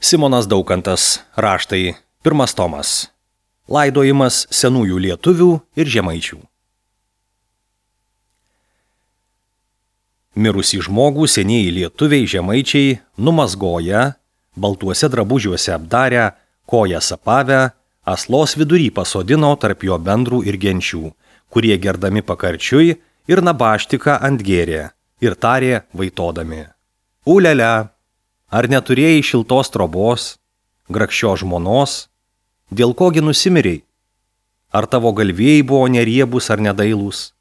Simonas Daukantas, raštai, 1 tomas. Laidojimas senųjų lietuvių ir žemaičių. Mirusį žmogų senieji lietuviai žemaičiai numazgoja, baltuose drabužiuose apdarę, kojas apavę, aslos vidury pasodino tarp jo bendrų ir genčių, kurie gerdami pakarčiui ir nabaštiką antgėrė ir tarė vaitodami. Ulialia, ar neturėjai šiltos trobos, grakščios žmonos, dėl kogi nusimiriai? Ar tavo galvėjai buvo neriebus ar nedailūs?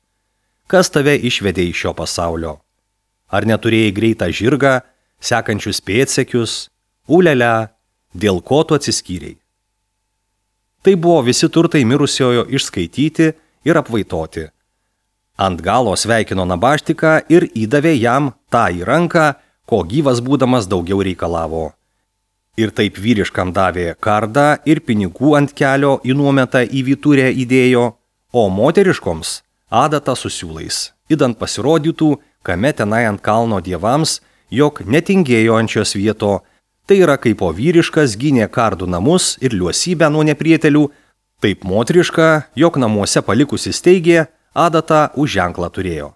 Kas tave išvedė iš šio pasaulio? Ar neturėjai greitą žirgą, sekančius pėdsekius? Ulialia, dėl ko tu atsiskyrei? Tai buvo visi turtai mirusiojo išskaityti ir apvaitoti. Ant galo sveikino nabaštiką ir įdavė jam tą į ranką, ko gyvas būdamas daugiau reikalavo. Ir taip vyriškam davė kardą ir pinigų ant kelio į nuometą į vyturę įdėjo, o moteriškoms adatą su siūlais, idant pasirodytų, kame tenai ant kalno dievams, jog netingėjo ant šios vieto, tai yra kaip o vyriškas gynė kardų namus ir liuosybę nuo neprietelių, taip moteriška, jog namuose palikusi steigė, adatą už ženklą turėjo.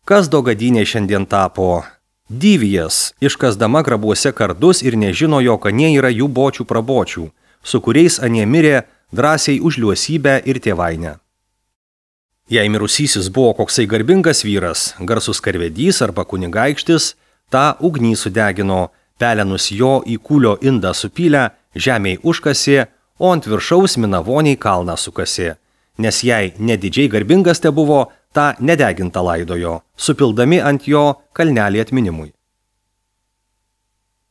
Kas dogadynė šiandien tapo? Dyvijas, iškasdama grabuose kardus ir nežino, jog anie yra jų bočių prabočių, su kuriais anie mirė drąsiai už liuosybę ir tėvainę. Jei mirusysis buvo koksai garbingas vyras, garsus karvedys arba kunigaikštis, tą ugnį sudegino, pelenus jo į kūlio indą supylę, žemėj užkasė, o ant viršaus minavoniai kalną sukasė, nes jei nedidžiai garbingas te buvo, tą nedegintą laidojo, supildami ant jo kalnelį atminimui.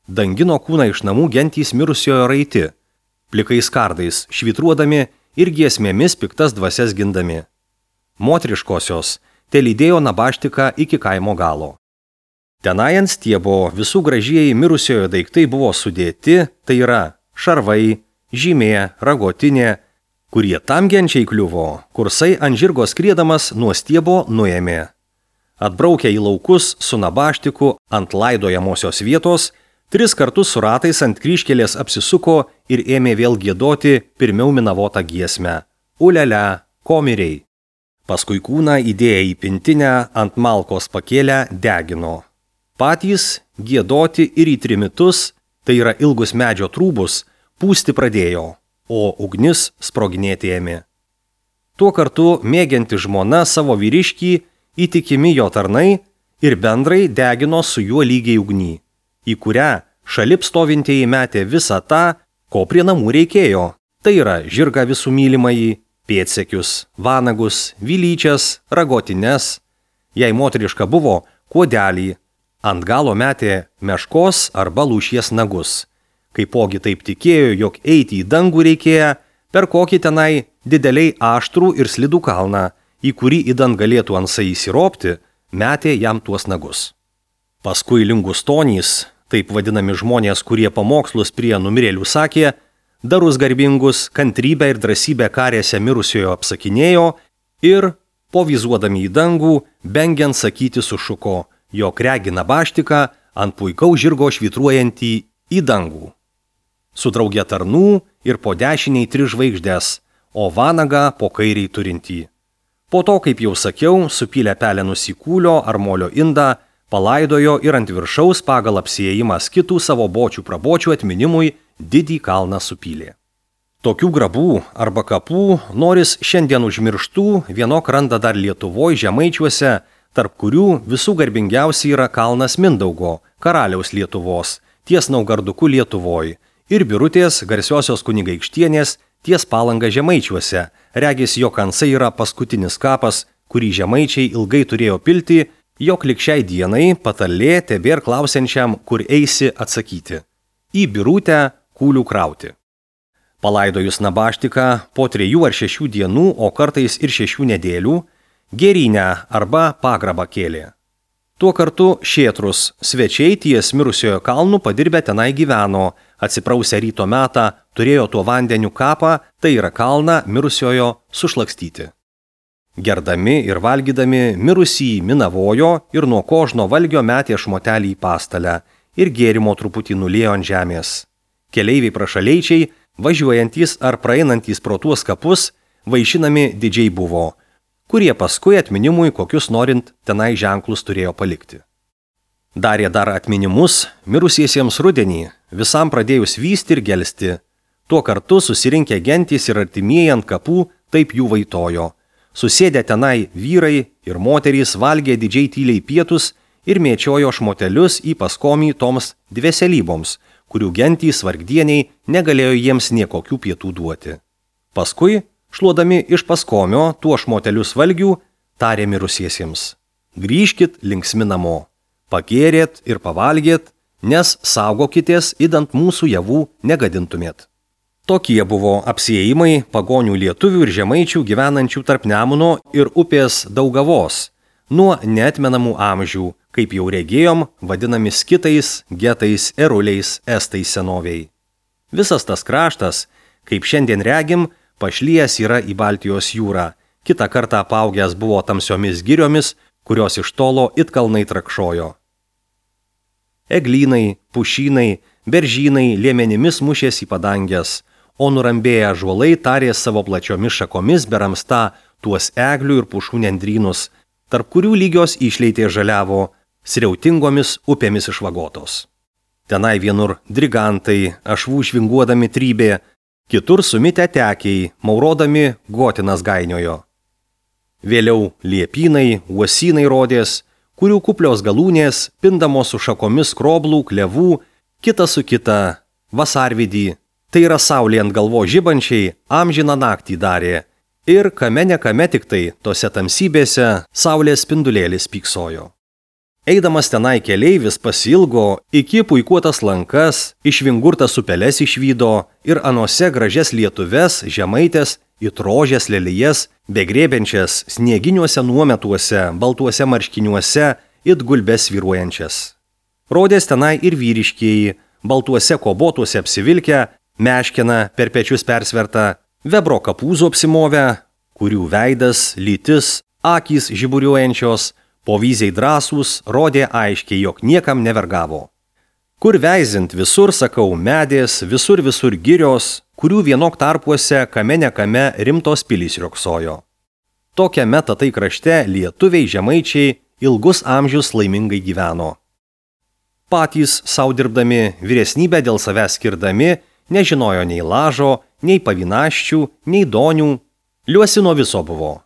Dangino kūną iš namų gentys mirusiojo raiti, plikais kardais švitruodami ir giesmėmis piktas dvasias gindami. Moteriškosios te lydėjo nabaštiką iki kaimo galo. Tenai ant stiebo visų gražieji mirusiojo daiktai buvo sudėti, tai yra šarvai, žymė, ragotinė, kurie tam genčiai kliuvo, kursai ant žirgo skriedamas nuo stiebo nuėmė. Atbraukę į laukus su nabaštiku ant laidojamosios vietos, 3 kartus su ratais ant kryžkelės apsisuko ir ėmė vėl giedoti pirmiau minavotą giesmę. Ulialia, ko mirei? Paskui kūną įdėję į pintinę ant malkos pakėlę degino. Patys giedoti ir į trimitus, tai yra ilgus medžio trūbus, pūsti pradėjo, o ugnis sproginėti ėmė. Tuo kartu mėgianti žmona savo vyriškį, įtikimi jo tarnai ir bendrai degino su juo lygiai ugny, į kurią šalip stovintieji metė visą tą, ko prie namų reikėjo, tai yra žirgą visų mylimąjį, pėdsekius, vanagus, vilyčias, ragotines, jei moteriška buvo, kuodelį, ant galo metė meškos arba lūšies nagus. Kaipogi taip tikėjo, jog eiti į dangų reikėjo, per kokį tenai dideliai aštrų ir slidų kalną, į kurį idant galėtų ansai įsiropti, metė jam tuos nagus. Paskui lingustonys, taip vadinami žmonės, kurie pamokslus prie numirėlių sakė, darus garbingus, kantrybę ir drąsybę karėse mirusiojo apsakinėjo ir, povizuodami į dangų, bengiant sakyti sušuko, jog regi nabaštiką ant puikaus žirgo švitruojantį į dangų. Su drauge tarnų ir po dešiniai 3 žvaigždės, o vanagą po kairiai turintį. Po to, kaip jau sakiau, supylė pelenus į kūlio ar molio indą, palaidojo ir ant viršaus pagal apsiejimas kitų savo bočių prabočių atminimui didį kalną supylė. Tokių grabų arba kapų noris šiandien užmirštų vienok randa dar Lietuvoj žemaičiuose, tarp kurių visų garbingiausiai yra kalnas Mindaugo, karaliaus Lietuvos, ties Naugarduku Lietuvoj, ir Birutės garsiosios kunigaikštienės ties Palanga žemaičiuose, regis jo kansai yra paskutinis kapas, kurį žemaičiai ilgai turėjo pilti, jog lig šiai dienai patarlė tebėr klausiančiam, kur eisi atsakyti. Į Birutę kūlių krauti. Palaidojus nabaštiką po 3 ar 6 dienų, o kartais ir 6 nedėlių, gėrynę arba pagrabą kėlė. Tuo kartu šėtrus svečiai ties mirusiojo kalnų padirbę tenai gyveno, atsiprausę ryto metą, turėjo tuo vandeniu kapą, tai yra kalną mirusiojo sušlakstyti. Gerdami ir valgydami mirusį minavojo ir nuo kožno valgio metė šmotelį į pastalę ir gėrimo truputį nuliejo ant žemės. Keleiviai prašaleičiai, važiuojantys ar praeinantys pro tuos kapus, vaišinami didžiai buvo, kurie paskui atminimui kokius norint tenai ženklus turėjo palikti. Darė dar atminimus mirusiesiems rudenį, visam pradėjus vysti ir gelsti. Tuo kartu susirinkę gentys ir artimieji ant kapų taip jų vaitojo. Susėdę tenai vyrai ir moterys valgė didžiai tyliai pietus ir mėčiojo šmotelius į paskomį toms dveselyboms, kurių gentys vargdieniai negalėjo jiems niekokių pietų duoti. Paskui, šluodami iš paskomio tuo šmotelius valgių, tarė mirusiesiems: grįžkit linksmi namo. Pagėrėt ir pavalgėt, nes saugokitės, idant mūsų javų negadintumėt. Tokie buvo apsiėjimai pagonių lietuvių ir žemaičių gyvenančių tarp Nemuno ir upės Daugavos, nuo neatmenamų amžių, kaip jau regėjom, vadinami skitais, getais, eruliais, estais senoviai. Visas tas kraštas, kaip šiandien regim, pašlijęs yra į Baltijos jūrą, kitą kartą apaugęs buvo tamsiomis giriomis, kurios iš tolo it kalnai trakšojo. Eglynai, pušynai, beržynai liemenimis mušės į padangės, o nurambėję ąžuolai tarė savo plačiomis šakomis beramsta tuos eglių ir pušų nendrynus, tarp kurių lygios išleitė žaliavo, sriautingomis upėmis išvagotos. Tenai vienur drigantai, ašvų švinguodami trybė, kitur sumitę tekiai, maurodami gotinas gainiojo. Vėliau liepynai, uosynai rodės, kurių kuplios galūnės, pindamos su šakomis kroblų, klevų, kita su kita, vasarvidį, tai yra saulė ant galvo žibančiai, amžiną naktį darė, ir kame nekame tik tai, tose tamsybėse, saulės spindulėlis pyksojo. Eidamas tenai keleivis pasilgo, iki puikuotas lankas, išvingurtas upeles išvydo ir anose gražias lietuves, žemaitės, it rožės lelijas, begrėbenčias snieginiuose nuometuose, baltuose marškiniuose, it gulbes svyruojančias. Rodės tenai ir vyriškieji, baltuose kobotuose apsivilkę, meškina per pečius persvertą, vebro kapūzų apsimovę, kurių veidas, lytis, akys žiburiuojančios, povyziai drąsūs, rodė aiškiai, jog niekam nevergavo. Kur veizint visur, sakau, medės, visur girios, kurių vienok tarpuose kame nekame rimtos pilys rioksojo. Tokiame tatai krašte lietuviai žemaičiai ilgus amžius laimingai gyveno. Patys sau dirbdami, vyresnybę dėl savęs skirdami, nežinojo nei lažo, nei pavinaščių, nei donių, liuosino viso buvo.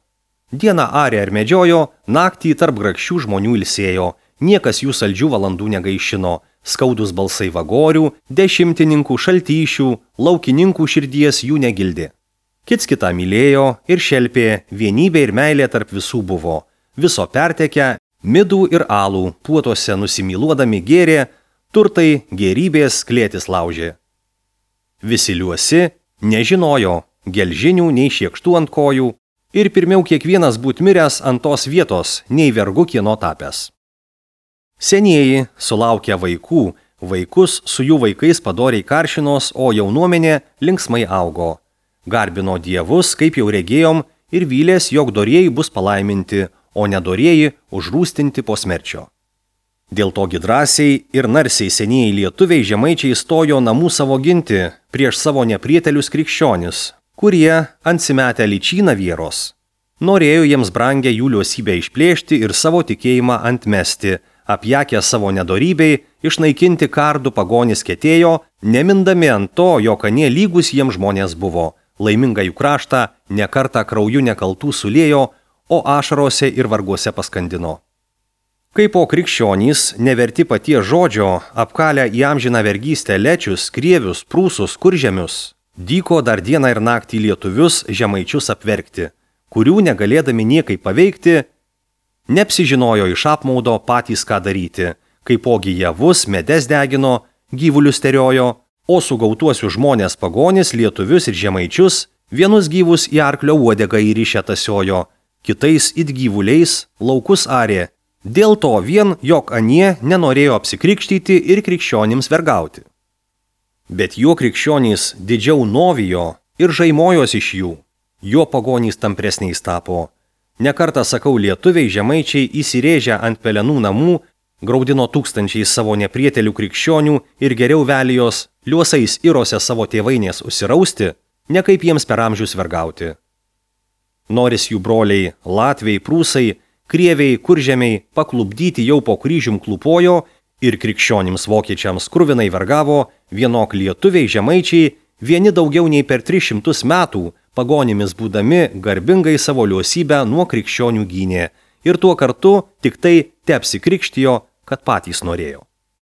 Dieną arė ar medžiojo, naktį tarp grakščių žmonių ilsėjo, niekas jų saldžių valandų negaišino, skaudus balsai vagorių, dešimtininkų, šaltyšių, laukininkų širdies jų negildė. Kits kitą mylėjo ir šelpė, vienybė ir meilė tarp visų buvo, viso pertekę, midų ir alų, puotose nusimyluodami gėrė, turtai, gėrybės klėtis laužė. Visi liuosi, nežinojo, gelžinių nei šiekštų ant kojų, ir pirmiau kiekvienas būt miręs ant tos vietos, nei vergu kieno tapęs. Senieji, sulaukę vaikų, vaikus su jų vaikais padoriai karšinos, o jaunuomenė linksmai augo. Garbino dievus, kaip jau regėjom, ir vylės, jog dorieji bus palaiminti, o nedorieji užrūstinti po smerčio. Dėl togi drąsiai ir narsiai senieji lietuviai žemaičiai stojo namų savo ginti prieš savo neprietelius krikščionis, kurie antsimetę lyčyną vieros. Norėjo jiems brangę jų liuosybę išplėšti ir savo tikėjimą antmesti, apjakę savo nedorybei, išnaikinti kardų pagonis ketėjo, nemindami ant to, jog anie lygus jiems žmonės buvo, laimingą jų kraštą nekartą krauju nekaltų suliejo, o ašarose ir varguose paskandino. Kaip po krikščionys, neverti paties žodžio, apkalę į amžiną vergystę lečius, krievius, prūsus, kuržemius, dyko dar dieną ir naktį lietuvius žemaičius apverkti, kurių negalėdami niekai paveikti, neapsižinojo iš apmaudo patys ką daryti, kaipogi javus, medes degino, gyvulius teriojo, o sugautuosius žmonės pagonis, lietuvius ir žemaičius, vienus gyvus į arklio uodegą įrišę tasiojo, kitais it gyvuliais laukus arė, dėl to vien, jog anie nenorėjo apsikrikštyti ir krikščionims vergauti. Bet jo krikščionys didžiau novijo ir žaimojos iš jų, jo pagonys tampresniais tapo. Nekartą sakau, lietuviai žemaičiai įsirėžę ant pelenų namų, Graudino tūkstančiais savo neprietelių krikščionių ir geriau velijos liuosais irose savo tėvainės užsirausti, ne kaip jiems per amžius vergauti. Noris jų broliai, latviai, prūsai, krieviai, kuržemiai paklubdyti jau po kryžium klūpojo ir krikščionims vokiečiams kruvinai vergavo, vienok lietuviai, žemaičiai, vieni daugiau nei per 300 metų, pagonimis būdami garbingai savo liuosybę nuo krikščionių gynė ir tuo kartu tik tai teapsikrikštijo, kad patys norėjo.